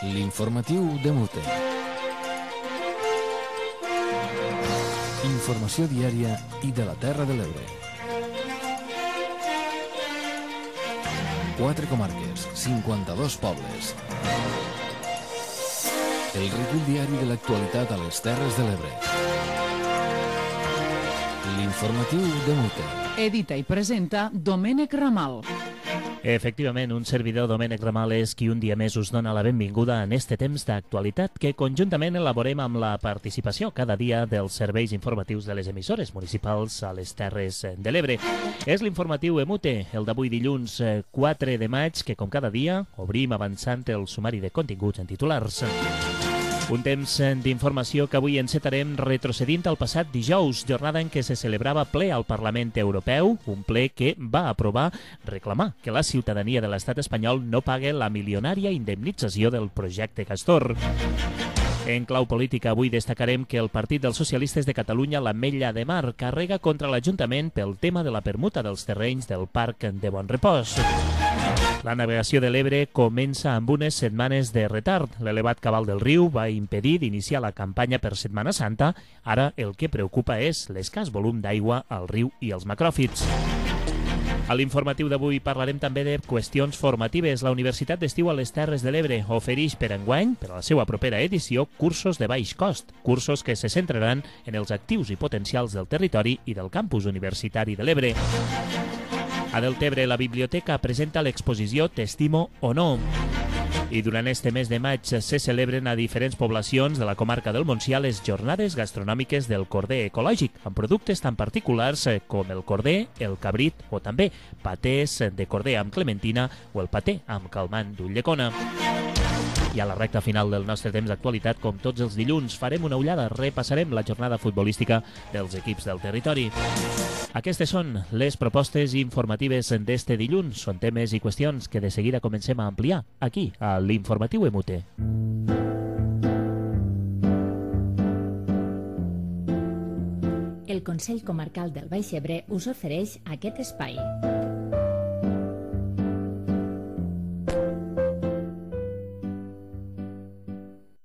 L'informatiu de Mute. Informació diària i de la Terra de l'Ebre. 4 comarques, 52 pobles. El recull diari de l'actualitat a les Terres de l'Ebre. L'informatiu de Mute. Edita i presenta Domènec Ramal. Efectivament, un servidor, Domènec Ramal, és qui un dia més us dona la benvinguda en este temps d'actualitat que conjuntament elaborem amb la participació cada dia dels serveis informatius de les emissores municipals a les Terres de l'Ebre. És l'informatiu EMUTE, el d'avui dilluns 4 de maig, que com cada dia obrim avançant el sumari de continguts en titulars. Un temps d'informació que avui encetarem retrocedint al passat dijous, jornada en què se celebrava ple al Parlament Europeu, un ple que va aprovar reclamar que la ciutadania de l'estat espanyol no pague la milionària indemnització del projecte Castor. En clau política, avui destacarem que el Partit dels Socialistes de Catalunya, l'Ametlla de Mar, carrega contra l'Ajuntament pel tema de la permuta dels terrenys del Parc de Bonrepòs. La navegació de l'Ebre comença amb unes setmanes de retard. L'elevat cabal del riu va impedir d'iniciar la campanya per Setmana Santa. Ara el que preocupa és l'escàs volum d'aigua al riu i els macròfits. A l'informatiu d'avui parlarem també de qüestions formatives. La Universitat d'Estiu a les Terres de l'Ebre ofereix per enguany, per a la seva propera edició, cursos de baix cost, cursos que se centraran en els actius i potencials del territori i del campus universitari de l'Ebre. A Deltebre, la biblioteca presenta l'exposició T'estimo o no. I durant este mes de maig se celebren a diferents poblacions de la comarca del Montsià les jornades gastronòmiques del corder ecològic, amb productes tan particulars com el corder, el cabrit o també patès de corder amb clementina o el paté amb calmant d'ulldecona. I a la recta final del nostre temps d'actualitat, com tots els dilluns, farem una ullada, repassarem la jornada futbolística dels equips del territori. Aquestes són les propostes informatives d'este dilluns. Són temes i qüestions que de seguida comencem a ampliar aquí, a l'Informatiu EMUTE. El Consell Comarcal del Baix Ebre us ofereix aquest espai.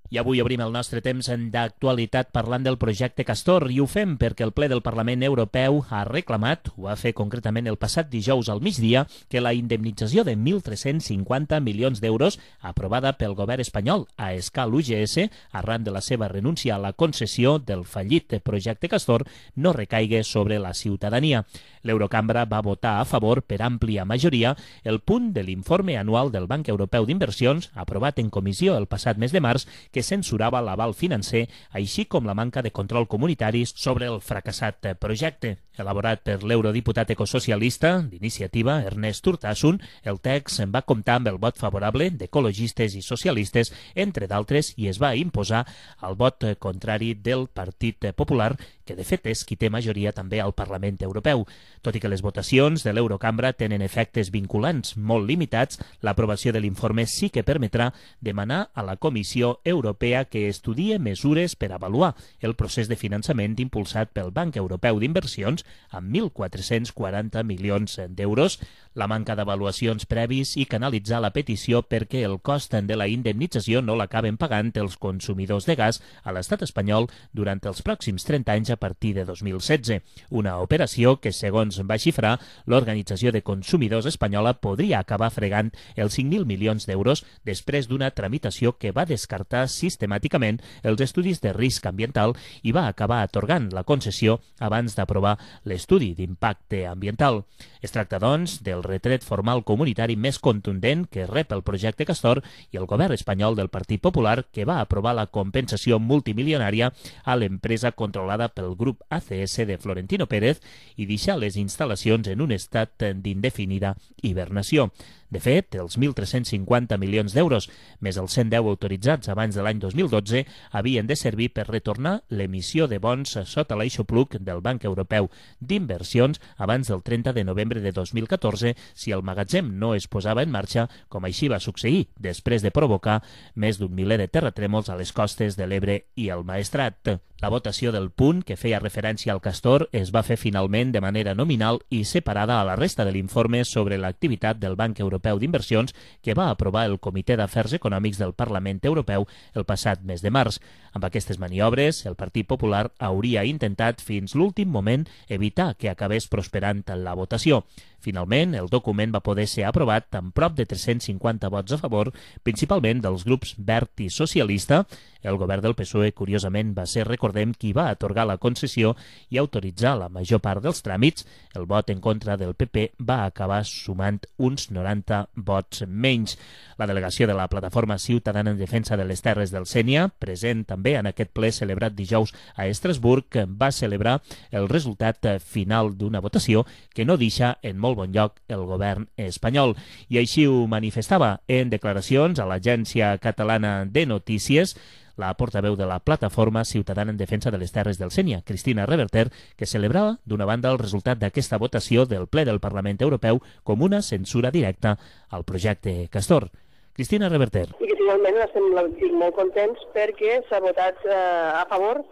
I avui obrim el nostre temps d'actualitat parlant del projecte Castor i ho fem perquè el ple del Parlament Europeu ha reclamat, ho va fer concretament el passat dijous al migdia, que la indemnització de 1.350 milions d'euros aprovada pel govern espanyol a escala UGS arran de la seva renúncia a la concessió del fallit projecte Castor no recaigue sobre la ciutadania. L'Eurocambra va votar a favor per àmplia majoria el punt de l'informe anual del Banc Europeu d'Inversions aprovat en comissió el passat mes de març que censurava l'aval financer, així com la manca de control comunitari sobre el fracassat projecte. Elaborat per l'eurodiputat ecosocialista d'Iniciativa, Ernest Urtasun, el text va comptar amb el vot favorable d'ecologistes i socialistes, entre d'altres, i es va imposar el vot contrari del Partit Popular, que de fet és qui té majoria també al Parlament Europeu. Tot i que les votacions de l'Eurocambra tenen efectes vinculants molt limitats, l'aprovació de l'informe sí que permetrà demanar a la Comissió Europea que estudie mesures per avaluar el procés de finançament impulsat pel Banc Europeu d'Inversions amb 1.440 milions d'euros, la manca d'avaluacions previs i canalitzar la petició perquè el cost de la indemnització no l'acaben pagant els consumidors de gas a l'estat espanyol durant els pròxims 30 anys a partir de 2016. Una operació que, segons va xifrar, l'Organització de Consumidors espanyola podria acabar fregant els 5.000 milions d'euros després d'una tramitació que va descartar sistemàticament els estudis de risc ambiental i va acabar atorgant la concessió abans d'aprovar l'estudi d'impacte ambiental. Es tracta, doncs, del retret formal comunitari més contundent que rep el projecte Castor i el govern espanyol del Partit Popular que va aprovar la compensació multimilionària a l'empresa controlada pel grup ACS de Florentino Pérez i deixar les instal·lacions en un estat d'indefinida hibernació. De fet, els 1.350 milions d'euros, més els 110 autoritzats abans de l'any 2012, havien de servir per retornar l'emissió de bons sota l'aixopluc del Banc Europeu d'Inversions abans del 30 de novembre de 2014 si el magatzem no es posava en marxa, com així va succeir després de provocar més d'un miler de terratrèmols a les costes de l'Ebre i el Maestrat. La votació del punt, que feia referència al castor, es va fer finalment de manera nominal i separada a la resta de l'informe sobre l'activitat del Banc Europeu d'Inversions que va aprovar el Comitè d'Afers Econòmics del Parlament Europeu el passat mes de març. Amb aquestes maniobres, el Partit Popular hauria intentat fins l'últim moment evitar que acabés prosperant la votació. Finalment, el document va poder ser aprovat amb prop de 350 vots a favor, principalment dels grups Verd i Socialista. El govern del PSOE, curiosament, va ser, recordem, qui va atorgar la concessió i autoritzar la major part dels tràmits. El vot en contra del PP va acabar sumant uns 90 vots menys. La delegació de la Plataforma Ciutadana en Defensa de les Terres del Sénia, present també en aquest ple celebrat dijous a Estrasburg, va celebrar el resultat final d'una votació que no deixa en molt bon lloc el govern espanyol. I així ho manifestava en declaracions a l'Agència Catalana de Notícies la portaveu de la Plataforma Ciutadana en Defensa de les Terres del Sénia, Cristina Reverter, que celebrava, d'una banda, el resultat d'aquesta votació del ple del Parlament Europeu com una censura directa al projecte Castor. Cristina Reverter. I que finalment estem molt contents perquè s'ha votat a favor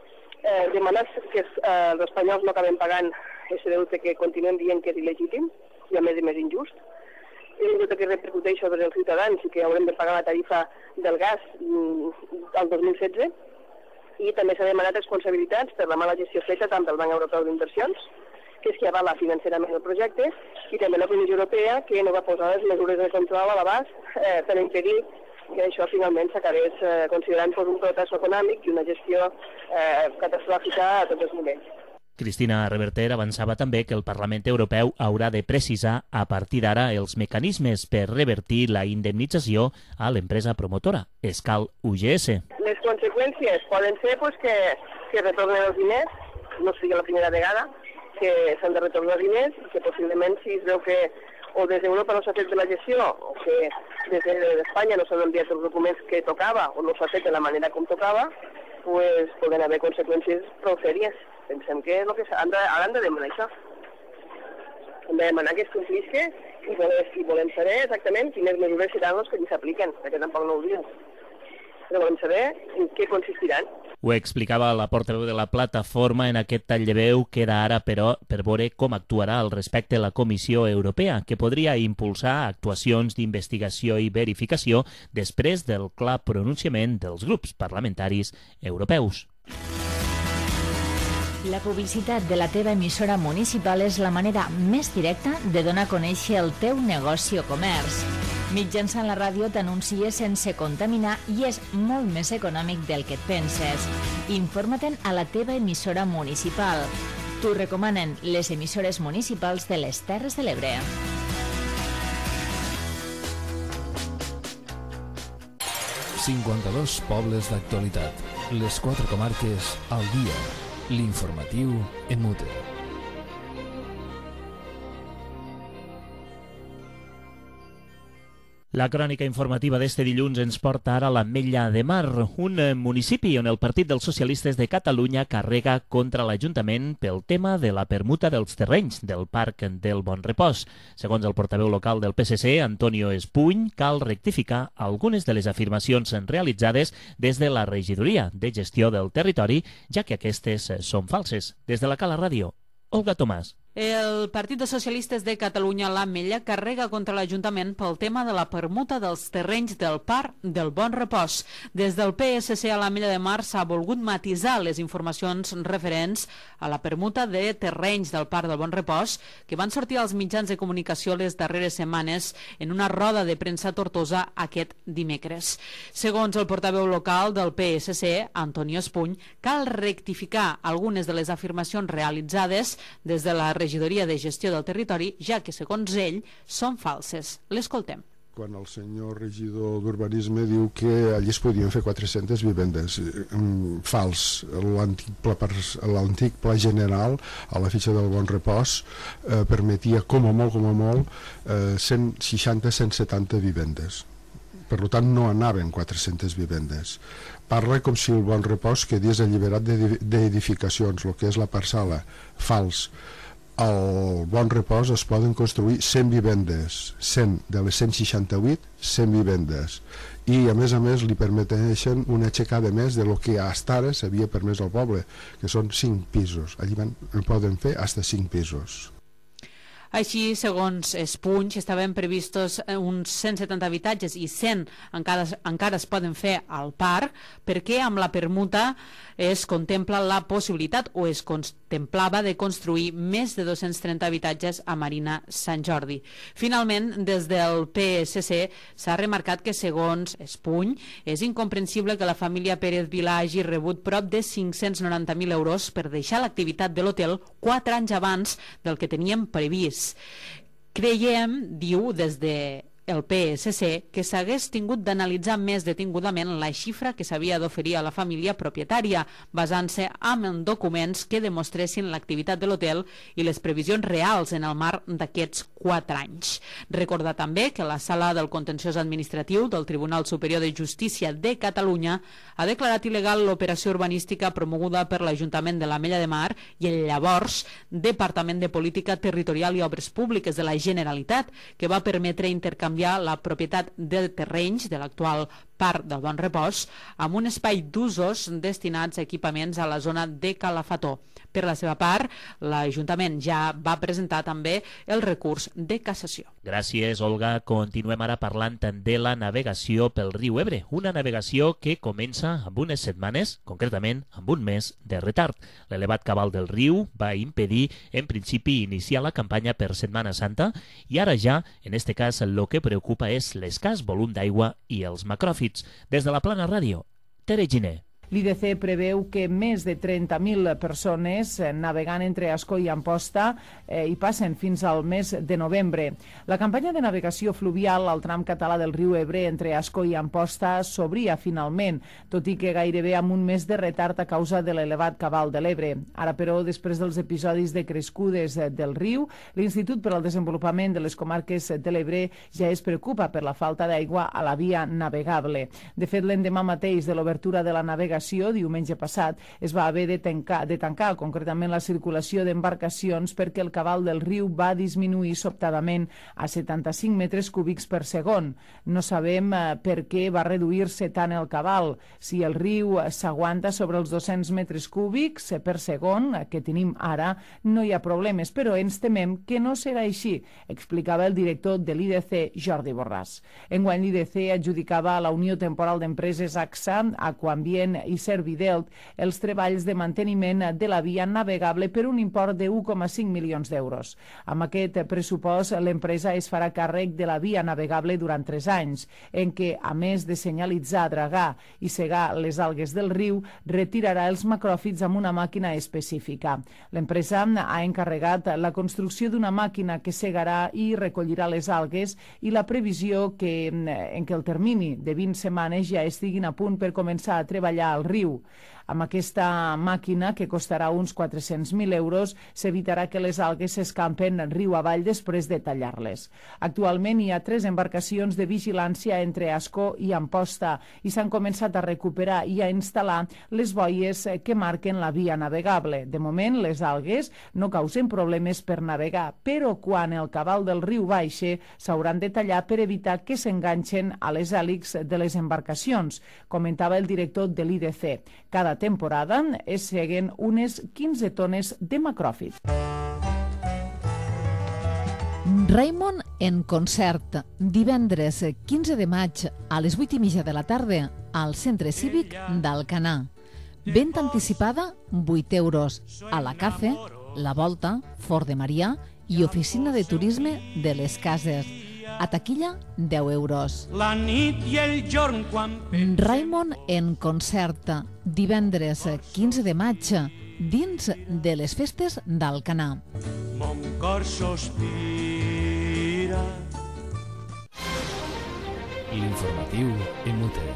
demanant que els espanyols no acabem pagant aquest deute que continuem dient que és il·legítim i a més injust. És un deute que repercuteix sobre els ciutadans i que haurem de pagar la tarifa del gas al 2016 i també s'ha demanat responsabilitats per la mala gestió feta tant del Banc Europeu d'Inversions, que és qui avala financerament el projecte, i també la Comissió Europea, que no va posar les mesures de control a l'abast per impedir que això finalment s'acabés considerant un fracàs econòmic i una gestió catastròfica a tots els nivells. Cristina Reverter avançava també que el Parlament Europeu haurà de precisar a partir d'ara els mecanismes per revertir la indemnització a l'empresa promotora, Escal UGS. Les conseqüències poden ser que retornen els diners, no sigui la primera vegada que s'han de retornar els diners, i que possiblement si es veu que o des d'Europa no s'ha fet de la gestió o que des d'Espanya no s'han enviat els documents que tocava o no s'ha fet de la manera com tocava, pues poden haver conseqüències prou sèries. Pensem que és el que han de demanar això. Hem de demanar que es complisca i volem saber exactament quines mesures seran les que ens s'apliquen, perquè tampoc no ho diuen. Però volem saber en què consistiran. Ho explicava la portaveu de la plataforma en aquest tall de veu. Queda ara, però, per veure com actuarà al respecte la Comissió Europea, que podria impulsar actuacions d'investigació i verificació després del clar pronunciament dels grups parlamentaris europeus. La publicitat de la teva emissora municipal és la manera més directa de donar a conèixer el teu negoci o comerç. Mitjançant la ràdio t'anuncies sense contaminar i és molt més econòmic del que et penses. Informa-te'n a la teva emissora municipal. T'ho recomanen les emissores municipals de les Terres de l'Ebre. ...52 pobles d'actualitat. Les 4 comarques al dia. L'informatiu en mute. La crònica informativa d'este dilluns ens porta ara a l'Ametlla de Mar, un municipi on el Partit dels Socialistes de Catalunya carrega contra l'Ajuntament pel tema de la permuta dels terrenys del Parc del Bon Repòs. Segons el portaveu local del PSC, Antonio Espuny, cal rectificar algunes de les afirmacions realitzades des de la Regidoria de Gestió del Territori, ja que aquestes són falses. Des de la Cala Ràdio, Olga Tomàs. El Partit dels Socialistes de Catalunya a l'Ametlla carrega contra l'Ajuntament pel tema de la permuta dels terrenys del Parc del Bon Repòs. Des del PSC a l'Ametlla de Mar s'ha volgut matisar les informacions referents a la permuta de terrenys del Parc del Bon Repòs que van sortir als mitjans de comunicació les darreres setmanes en una roda de premsa a Tortosa aquest dimecres. Segons el portaveu local del PSC, Antonio Espuny, cal rectificar algunes de les afirmacions realitzades des de la Regidoria de Gestió del Territori, ja que, segons ell, són falses. L'escoltem. Quan el senyor regidor d'Urbanisme diu que allí es podien fer 400 vivendes. Fals. L'antic pla general a la fitxa del Bon Repòs permetia com a molt 160-170 vivendes. Per tant, no anaven 400 vivendes. Parla com si el Bon Repòs quedés alliberat d'edificacions, el que és la parcel·la. Fals. al Bon Repòs es poden construir 100 vivendes, 100 de les 168, 100 vivendes, i a més li permeteixen una aixecada més de lo que hasta ara s'havia permès al poble, que són 5 pisos. Allí poden fer fins a 5 pisos. Així, segons Espuny, estaven previstos uns 170 habitatges i 100 encara es poden fer al parc, perquè amb la permuta es contempla la possibilitat o es contemplava de construir més de 230 habitatges a Marina Sant Jordi. Finalment, des del PSC s'ha remarcat que, segons Espuny, és incomprensible que la família Pérez Vilà hagi rebut prop de 590.000 euros per deixar l'activitat de l'hotel 4 anys abans del que teníem previst. Creiem, diu des de el PSC, que s'hagués tingut d'analitzar més detingudament la xifra que s'havia d'oferir a la família propietària, basant-se en documents que demostressin l'activitat de l'hotel i les previsions reals en el marc d'aquests 4 anys. Recordar també que la Sala del Contenciós Administratiu del Tribunal Superior de Justícia de Catalunya ha declarat il·legal l'operació urbanística promoguda per l'Ajuntament de l'Ametlla de Mar i el llavors Departament de Política Territorial i Obres Públiques de la Generalitat, que va permetre intercanviar la propietat de terrenys de l'actual Parc del Bon Repòs amb un espai d'usos destinats a equipaments a la zona de Calafató. Per la seva part, l'Ajuntament ja va presentar també el recurs de cassació. Gràcies, Olga. Continuem ara parlant de la navegació pel riu Ebre, una navegació que comença amb unes setmanes, concretament amb un mes de retard. L'elevat cabal del riu va impedir, en principi, iniciar la campanya per Setmana Santa i ara ja, en este cas, el que preocupa és l'escàs volum d'aigua i els macròfits. Des de la Plana Ràdio, Tere Giner. L'IDC preveu que més de 30.000 persones navegant entre Ascó i Amposta hi passen fins al mes de novembre. La campanya de navegació fluvial al tram català del riu Ebre entre Ascó i Amposta s'obria finalment, tot i que gairebé amb un mes de retard a causa de l'elevat cabal de l'Ebre. Ara, però, després dels episodis de crescudes del riu, l'Institut per al Desenvolupament de les Comarques de l'Ebre ja es preocupa per la falta d'aigua a la via navegable. De fet, l'endemà mateix de l'obertura de la navegació, diumenge passat, es va haver de tancar concretament la circulació d'embarcacions perquè el cabal del riu va disminuir sobtadament a 75 metres cúbics per segon. No sabem per què va reduir-se tant el cabal. Si el riu s'aguanta sobre els 200 metres cúbics per segon que tenim ara, no hi ha problemes, però ens temem que no serà així, explicava el director de l'IDC, Jordi Borràs. Enguany l'IDC adjudicava a la Unió Temporal d'Empreses AXA, Aquambient i Servidelt els treballs de manteniment de la via navegable per un import de 1,5 milions d'euros. Amb aquest pressupost, l'empresa es farà càrrec de la via navegable durant 3 anys, en què, a més de senyalitzar, dragar i segar les algues del riu, retirarà els macròfits amb una màquina específica. L'empresa ha encarregat la construcció d'una màquina que segarà i recollirà les algues i la previsió en què el termini de 20 setmanes ja estiguin a punt per començar a treballar al riu. Amb aquesta màquina, que costarà uns 400.000 euros, s'evitarà que les algues s'escampen riu avall després de tallar-les. Actualment hi ha 3 embarcacions de vigilància entre Ascó i Amposta i s'han començat a recuperar i a instal·lar les boies que marquen la via navegable. De moment, les algues no causen problemes per navegar, però quan el cabal del riu baixe s'hauran de tallar per evitar que s'enganxen a les hèlixs de les embarcacions, comentava el director de l'IDC. Cada temporada es seguen unes 15 tones de macròfit. Raimon en concert, divendres 15 de maig a les 8:30 de la tarda al Centre Cívic d'Alcanar. Venda anticipada, 8 euros. A la Cafe, La Volta, Fort de Marià i Oficina de Turisme de les Cases. A taquilla, 10 euros. La nit i el jorn quan... Raimon en concert, divendres 15 de maig, dins de les festes d'Alcanar. Mon cor sospira. L'informatiu Emute.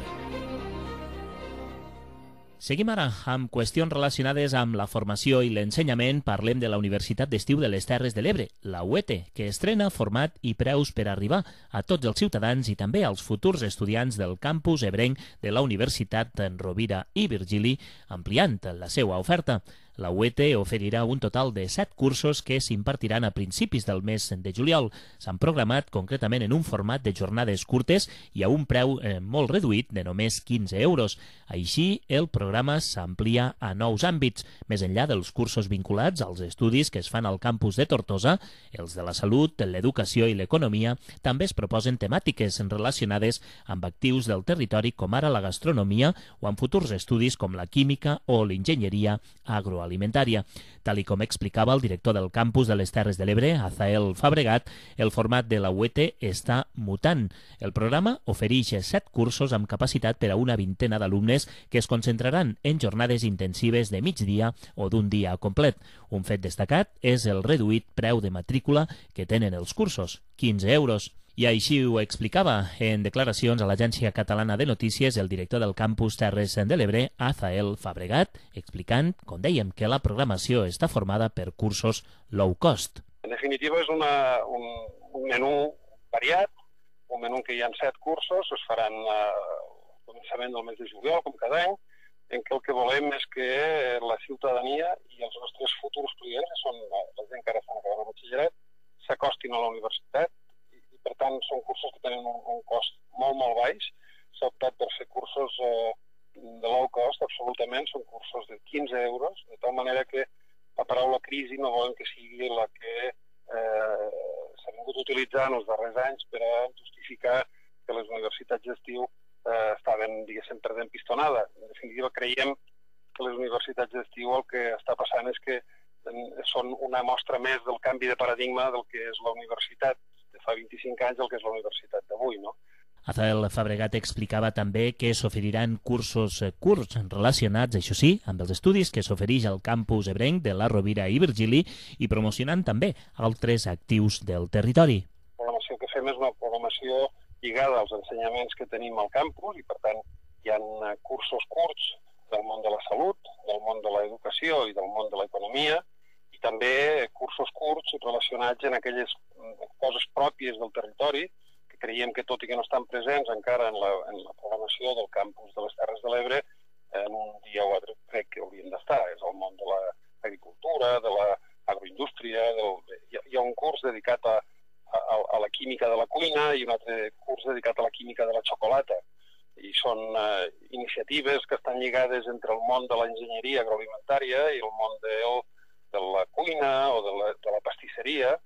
Seguim ara amb qüestions relacionades amb la formació i l'ensenyament. Parlem de la Universitat d'Estiu de les Terres de l'Ebre, la UET, que estrena format i preus per arribar a tots els ciutadans i també als futurs estudiants del campus ebrenc de la Universitat en Rovira i Virgili, ampliant la seva oferta. La UET oferirà un total de 7 cursos que s'impartiran a principis del mes de juliol. S'han programat concretament en un format de jornades curtes i a un preu molt reduït de només 15 euros. Així, el programa s'amplia a nous àmbits. Més enllà dels cursos vinculats als estudis que es fan al campus de Tortosa, els de la salut, l'educació i l'economia, també es proposen temàtiques relacionades amb actius del territori com ara la gastronomia o amb futurs estudis com la química o l'enginyeria agroalimentària. Tal i com explicava el director del campus de les Terres de l'Ebre, Azael Fabregat, el format de la UET està mutant. El programa ofereix 7 cursos amb capacitat per a una vintena d'alumnes que es concentraran en jornades intensives de migdia o d'un dia complet. Un fet destacat és el reduït preu de matrícula que tenen els cursos, 15 euros. I així ho explicava en declaracions a l'Agència Catalana de Notícies el director del campus Terres de l'Ebre, Azael Fabregat, explicant, com dèiem, que la programació està formada per cursos low cost. En definitiva, és un menú variat, un menú que hi ha 7 cursos, es faran al començament del mes de juliol, com cada any, en què el que volem és que la ciutadania i els nostres futurs clients, que són la gent que ara estan acabant el batxillerat, s'acostin a la universitat. Per tant, són cursos que tenen un cost molt baix. S'ha optat per fer cursos de low cost, absolutament. Són cursos de 15 euros, de tal manera que la paraula crisi no volem que sigui la que s'ha vingut utilitzant els darrers anys per a justificar que les universitats d'estiu estaven, diguéssim, perdent pistonada. En definitiva, creiem que les universitats d'estiu el que està passant és que són una mostra més del canvi de paradigma del que és la universitat de fa 25 anys el que és la universitat d'avui, no? Azael Fabregat explicava també que s'oferiran cursos curts relacionats, això sí, amb els estudis que s'ofereix al campus ebrenc de la Rovira i Virgili i promocionant també altres actius del territori. La programació que fem és una programació lligada als ensenyaments que tenim al campus i, per tant, hi ha cursos curts del món de la salut, del món de l'educació i del món de l'economia, i també cursos curts relacionats en aquelles coses pròpies del territori, que creiem que tot i que no estan presents encara en la programació del campus de les Terres de l'Ebre, en un dia o altre crec que haurien d'estar. És el món de l'agricultura, de l'agroindústria, hi ha un curs dedicat a la química de la cuina i un altre curs dedicat a la química de la xocolata. I són iniciatives que estan lligades entre el món de l'enginyeria agroalimentària i el món de la cuina o de la pastisseria,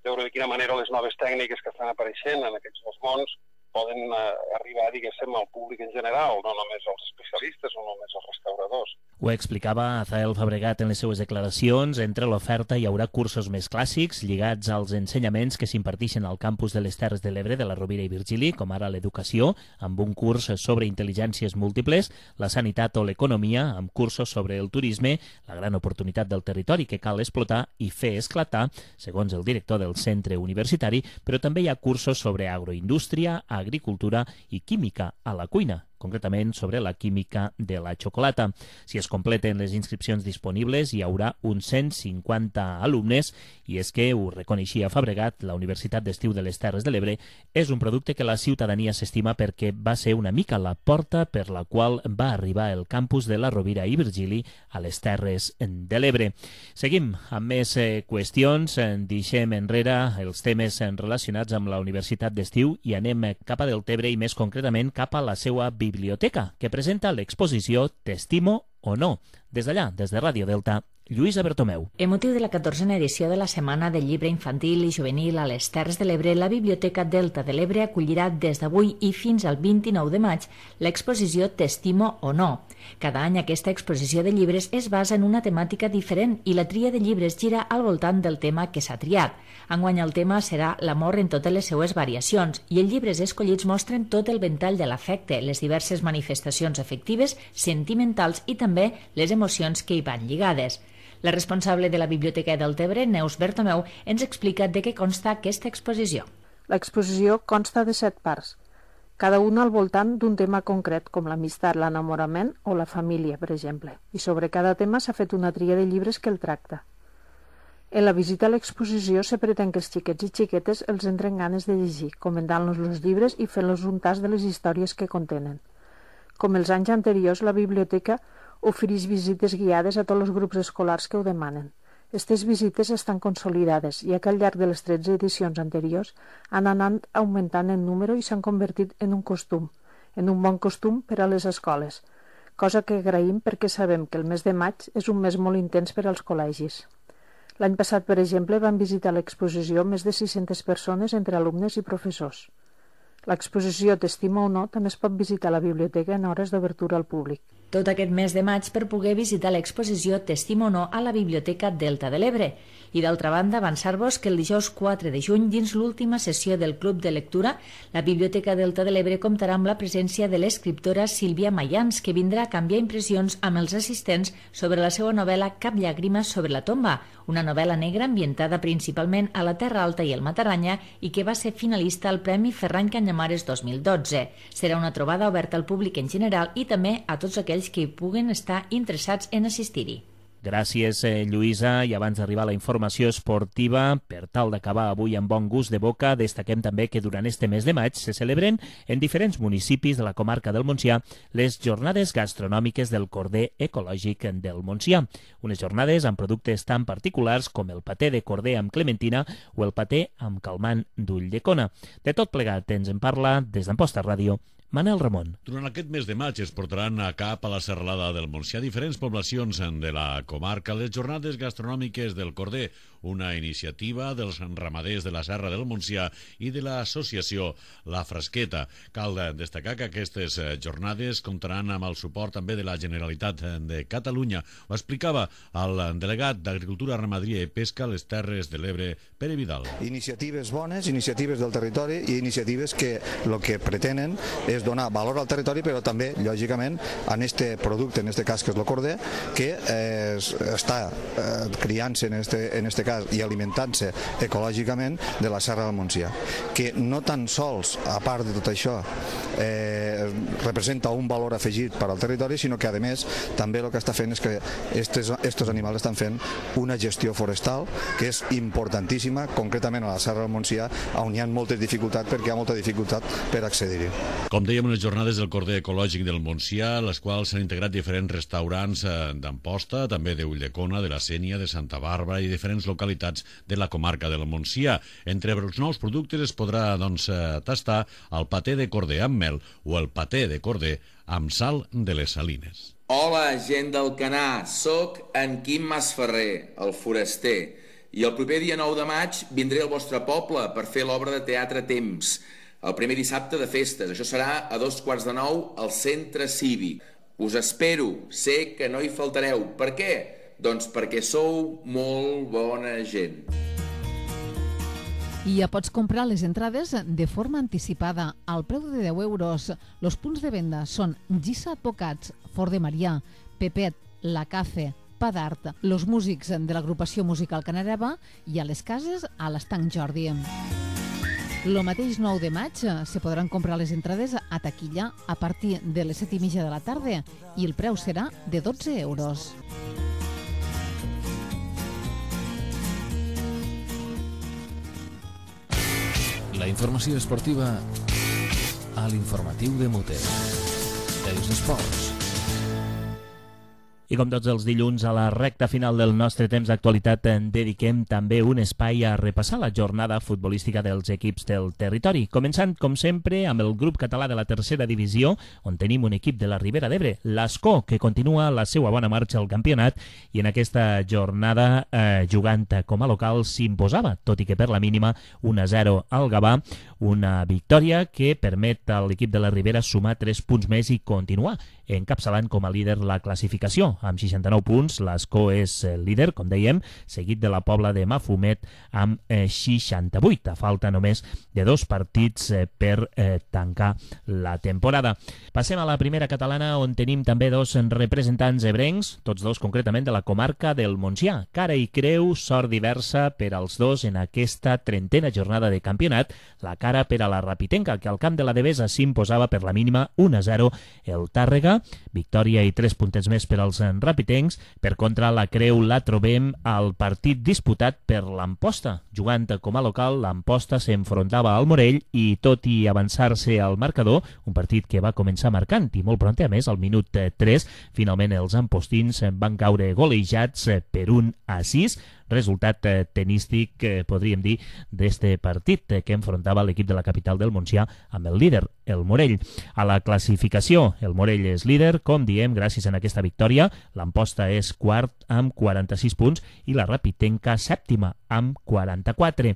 veure de quina manera les noves tècniques que estan apareixent en aquests dos mons poden arribar, diguéssim, al públic en general, no només als especialistes o només als restauradors. Ho explicava Azael Fabregat en les seues declaracions. Entre l'oferta hi haurà cursos més clàssics lligats als ensenyaments que s'imparteixen al campus de les Terres de l'Ebre de la Rovira i Virgili, com ara l'educació, amb un curs sobre intel·ligències múltiples, la sanitat o l'economia, amb cursos sobre el turisme, la gran oportunitat del territori que cal explotar i fer esclatar, segons el director del centre universitari, però també hi ha cursos sobre agroindústria, agricultura i química a la cuina, concretament sobre la química de la xocolata. Si es completen les inscripcions disponibles, hi haurà uns 150 alumnes, i és que, ho reconeixia Fabregat, la Universitat d'Estiu de les Terres de l'Ebre és un producte que la ciutadania s'estima perquè va ser una mica la porta per la qual va arribar el campus de la Rovira i Virgili a les Terres de l'Ebre. Seguim amb més qüestions, deixem enrere els temes relacionats amb la Universitat d'Estiu i anem cap a Deltebre i més concretament cap a la seva biblioteca, que presenta l'exposició T'estimo o no. Des d'allà, des de Ràdio Delta, Lluïsa Bertomeu. En motiu de la 14a edició de la Setmana del Llibre Infantil i Juvenil a les Terres de l'Ebre, la Biblioteca Delta de l'Ebre acollirà des d'avui i fins al 29 de maig l'exposició T'estimo o no. Cada any aquesta exposició de llibres es basa en una temàtica diferent i la tria de llibres gira al voltant del tema que s'ha triat. Enguany el tema serà l'amor en totes les seues variacions i els llibres escollits mostren tot el ventall de l'afecte, les diverses manifestacions afectives, sentimentals i també les emocions que hi van lligades. La responsable de la Biblioteca Deltebre, Neus Bertomeu, ens explica de què consta aquesta exposició. L'exposició consta de 7 parts, cada una al voltant d'un tema concret, com l'amistat, l'enamorament o la família, per exemple. I sobre cada tema s'ha fet una tria de llibres que el tracta. En la visita a l'exposició se pretén que els xiquets i xiquetes els entren ganes de llegir, comentant-los els llibres i fent-los un tast de les històries que contenen. Com els anys anteriors, la biblioteca ofereix visites guiades a tots els grups escolars que ho demanen. Aquestes visites estan consolidades, ja que al llarg de les 13 edicions anteriors han anat augmentant en número i s'han convertit en un costum, en un bon costum per a les escoles, cosa que agraïm perquè sabem que el mes de maig és un mes molt intens per als col·legis. L'any passat, per exemple, van visitar l'exposició més de 600 persones entre alumnes i professors. L'exposició Testima o no també es pot visitar a la biblioteca en hores d'obertura al públic. Tot aquest mes de maig per poder visitar l'exposició Testima o no a la Biblioteca Delta de l'Ebre. I d'altra banda, avançar-vos que el dijous 4 de juny, dins l'última sessió del Club de Lectura, la Biblioteca Delta de l'Ebre comptarà amb la presència de l'escriptora Sílvia Mayans, que vindrà a canviar impressions amb els assistents sobre la seva novel·la Cap llàgrima sobre la tomba, una novel·la negra ambientada principalment a la Terra Alta i el Mataranya i que va ser finalista al Premi Ferran Canyamares 2012. Serà una trobada oberta al públic en general i també a tots aquells que hi puguen estar interessats en assistir-hi. Gràcies, Lluïsa. I abans d'arribar a la informació esportiva, per tal d'acabar avui amb bon gust de boca, destaquem també que durant este mes de maig se celebren en diferents municipis de la comarca del Montsià les jornades gastronòmiques del corder ecològic del Montsià. Unes jornades amb productes tan particulars com el paté de corder amb clementina o el paté amb calmant d'ull de cona. De tot plegat ens en parla des d'Amposta Ràdio Manel Ramon. Durant aquest mes de maig es portaran a cap a la serralada del Montsià diferents poblacions de la comarca les jornades gastronòmiques del corder, una iniciativa dels ramaders de la Serra del Montsià i de l'associació La Fresqueta. Cal destacar que aquestes jornades comptaran amb el suport també de la Generalitat de Catalunya. Ho explicava el delegat d'Agricultura, Ramaderia i Pesca a les Terres de l'Ebre, Pere Vidal. Iniciatives bones, iniciatives del territori i iniciatives que el que pretenen és donar valor al territori, però també, lògicament, en este producte, en este cas que és el corder, que està criant-se en este cas i alimentant-se ecològicament de la Serra del Montsià, que no tan sols, a part de tot això, representa un valor afegit per al territori, sinó que, a més, també el que està fent és que estos animals estan fent una gestió forestal que és importantíssima, concretament a la Serra del Montsià, on hi ha moltes dificultats perquè hi ha molta dificultat per accedir-hi. Com dèiem, les jornades del corder ecològic del Montsià, les quals s'han integrat diferents restaurants d'Amposta, també de Ulldecona, de la Sénia, de Santa Bàrbara i diferents localitats de la comarca del Montsià. Entre els nous productes es podrà tastar el paté de corder amb mel o el paté de corder amb sal de les Salines. Hola, gent del Canà, soc en Quim Masferrer, el foraster, i el proper dia 9 de maig vindré al vostre poble per fer l'obra de teatre Temps, el primer dissabte de festes. Això serà a 8:45 al Centre Cívic. Us espero, sé que no hi faltareu. Per què? Doncs perquè sou molt bona gent. I ja pots comprar les entrades de forma anticipada al preu de 10 euros. Els punts de venda són Gissa Advocats, Fort de Marià, Pepet, La Cafe, Padart, los músics de l'agrupació musical Canareva i a les cases a l'Estanc Jordi. Lo mateix 9 de maig se podran comprar les entrades a taquilla a partir de les 7:30 de la tarda i el preu serà de 12 euros. La informació esportiva a l'informatiu de Muter. Els esports. I com tots els dilluns, a la recta final del nostre temps d'actualitat en dediquem també un espai a repassar la jornada futbolística dels equips del territori. Començant, com sempre, amb el grup català de la tercera divisió, on tenim un equip de la Ribera d'Ebre, l'Ascó, que continua la seva bona marxa al campionat i en aquesta jornada, jugant com a local, s'imposava, tot i que per la mínima 1-0 al Gavà, una victòria que permet a l'equip de la Ribera sumar 3 punts més i continuar encapçalant com a líder la classificació. Amb 69 punts, l'Ascó és el líder, com dèiem, seguit de la Pobla de Mafumet amb 68. A falta només de 2 partits per tancar la temporada. Passem a la primera catalana, on tenim també 2 representants ebrencs, tots 2 concretament de la comarca del Montsià. Cara i creu, sort diversa per als 2 en aquesta 30a jornada de campionat. La cara per a la Rapitenca, que al camp de la Devesa s'imposava per la mínima 1-0 el Tàrrega. Victòria i 3 puntets més per als rapitencs. Per contra, la creu la trobem al partit disputat per l'Amposta. Jugant com a local, l'Amposta s'enfrontava al Morell i, tot i avançar-se al marcador, un partit que va començar marcant i molt pront, a més, al minut 3, finalment els ampostins van caure golejats per 1-6, resultat tenístic, podríem dir, d'este partit que enfrontava l'equip de la capital del Montsià amb el líder, el Morell. A la classificació, el Morell és líder, com diem, gràcies a aquesta victòria. L'Amposta és quart amb 46 punts i la Rapitenca sèptima amb 44.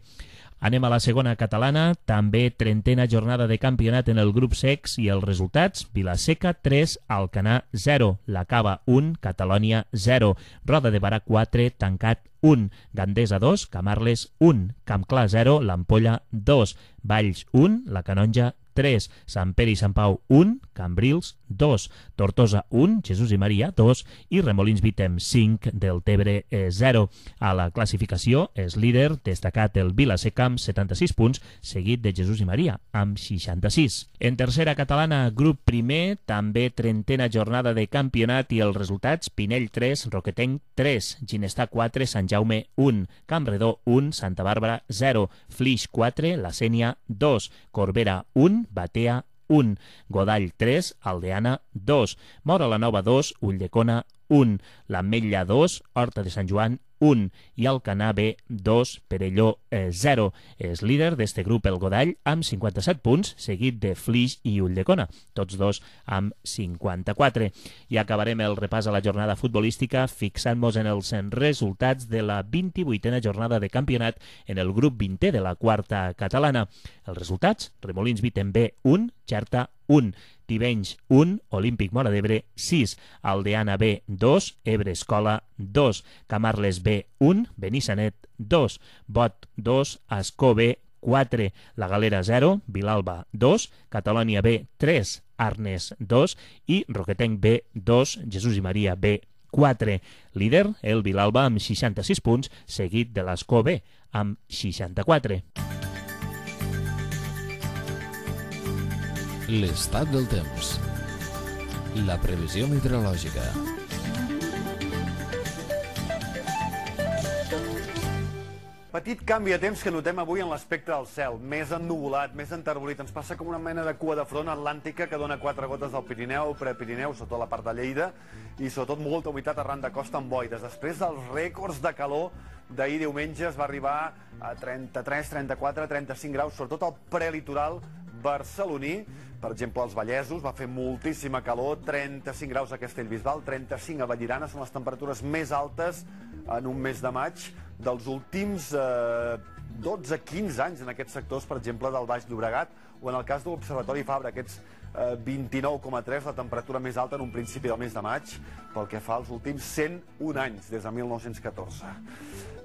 Anem a la segona catalana, també 30a jornada de campionat en el grup secs i els resultats: Vilaseca 3, Alcanar 0, La Cava 1, Catalònia 0, Roda de Barà 4, Tancat 1, Gandesa 2, Camarles 1, Campclar 0, l'Ampolla 2, Valls 1, la Canonja 3, Sant Pere i Sant Pau 1, Cambrils 2, Tortosa 1, Jesús i Maria 2 i Remolins Vitem 5, Deltebre 0. A la classificació és líder destacat el Vilaseca amb 76 punts, seguit de Jesús i Maria amb 66. En tercera catalana, grup primer, també 30a jornada de campionat i els resultats: Pinell 3, Roquetenc 3, Ginestà 4, Sant Jaume 1, Campredó 1, Santa Bàrbara 0, Flix 4, La Sénia 2, Corbera 1, Batea 1, Godall 3, Aldeana 2, Mora la Nova 2, Ulldecona 1, l'Ametlla 2, Horta de Sant Joan 1 i Alcanar B 2, Perelló 0. És líder d'este grup el Godall amb 57 punts, seguit de Flix i Ulldecona, tots dos amb 54. I acabarem el repàs a la jornada futbolística fixant-nos en els resultats de la 28a jornada de campionat en el grup 20è de la quarta catalana. Els resultats: Remolins Vitem B 1, Xerta 1, Tivenys 1, Olímpic Móra d'Ebre 6, Aldeana B 2, Ebre Escola 2, Camarles B 1, Benissanet 2, Bot 2, Ascó B 4, La Galera 0, Vilalba 2, Catalònia B 3, Arnes 2 i Roquetenc B 2, Jesús i Maria B 4. Líder, el Vilalba amb 66 punts, seguit de l'Ascó B amb 64. L'estat del temps. La previsió meteorològica. Petit canvi de temps que notem avui en l'aspecte del cel. Més ennuvolat, més enterbolit. Ens passa com una mena de cua de front atlàntica que dona 4 gotes al Pirineu, Prepirineu, sobretot la part de Lleida, i sobretot molta humitat arran de costa amb boires. Després dels rècords de calor d'ahir diumenge es va arribar a 33, 34, 35 graus, sobretot al prelitoral barceloní. Per exemple, als Vallesos va fer moltíssima calor, 35 graus a Castellbisbal, 35 a Vallirana, són les temperatures més altes en un mes de maig dels últims 12-15 anys en aquests sectors, per exemple, del Baix Llobregat, o en el cas de l'Observatori Fabra, aquests 29,3, la temperatura més alta en un principi del mes de maig, pel que fa als últims 101 anys, des de 1914.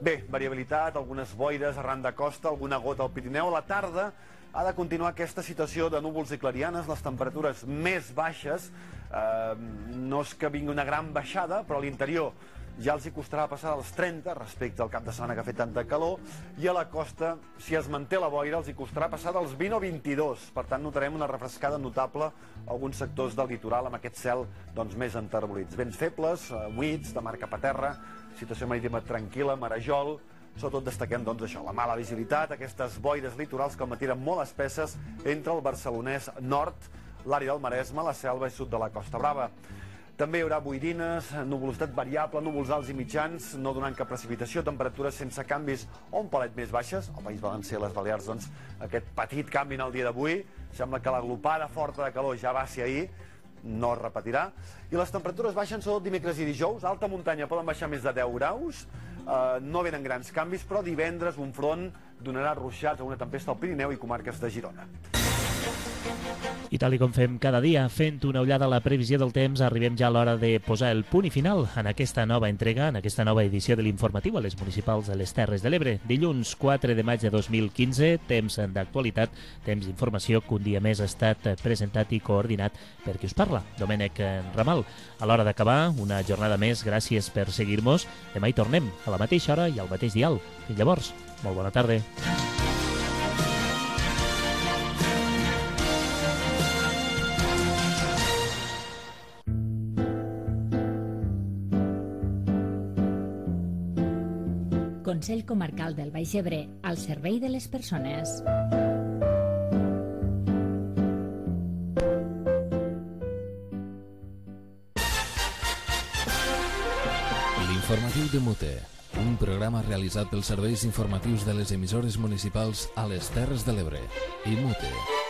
Bé, variabilitat, algunes boires arran de costa, alguna gota al Pirineu. A la tarda ha de continuar aquesta situació de núvols i clarianes, les temperatures més baixes, no és que vingui una gran baixada, però a l'interior ja els hi costarà passar als 30 respecte al cap de setmana que ha fet tanta calor, i a la costa, si es manté la boira, els hi costarà passar dels 20 o 22. Per tant, notarem una refrescada notable a alguns sectors del litoral amb aquest cel més enterbolits. Vents febles, humits, de mar cap a terra, situació marítima tranquil·la, marejol. Sobretot destaquem això, la mala visibilitat, aquestes boires litorals que al matí eren molt espesses entre el barcelonès nord, l'àrea del Maresme, la selva i sud de la Costa Brava. També hi haurà boirines, nuvolositat variable, núvols alts i mitjans, no donant cap precipitació, temperatures sense canvis o un palet més baixes. Al País Valencià i les Balears, aquest petit canvi en el dia d'avui. Sembla que l'aglopada forta de calor ja va ser ahir, no es repetirà. I les temperatures baixen sobretot dimecres i dijous. Alta muntanya poden baixar més de 10 graus. No venen grans canvis, però divendres un front donarà ruixats a una tempesta al Pirineu i comarques de Girona. I tal com fem cada dia, fent una ullada a la previsió del temps, arribem ja a l'hora de posar el punt i final en aquesta nova entrega, en aquesta nova edició de l'informatiu a les municipals de les Terres de l'Ebre. Dilluns 4 de maig de 2015, temps d'actualitat, temps d'informació que un dia més ha estat presentat i coordinat per qui us parla, Domènec Ramal. A l'hora d'acabar, una jornada més, gràcies per seguir-nos. Demà hi tornem, a la mateixa hora i al mateix dial. Fins llavors, molt bona tarda. Consell Comarcal del Baix Ebre, al servei de les persones. L'informatiu de Mute, un programa realitzat pels serveis informatius de les emissores municipals a les Terres de l'Ebre i Mute.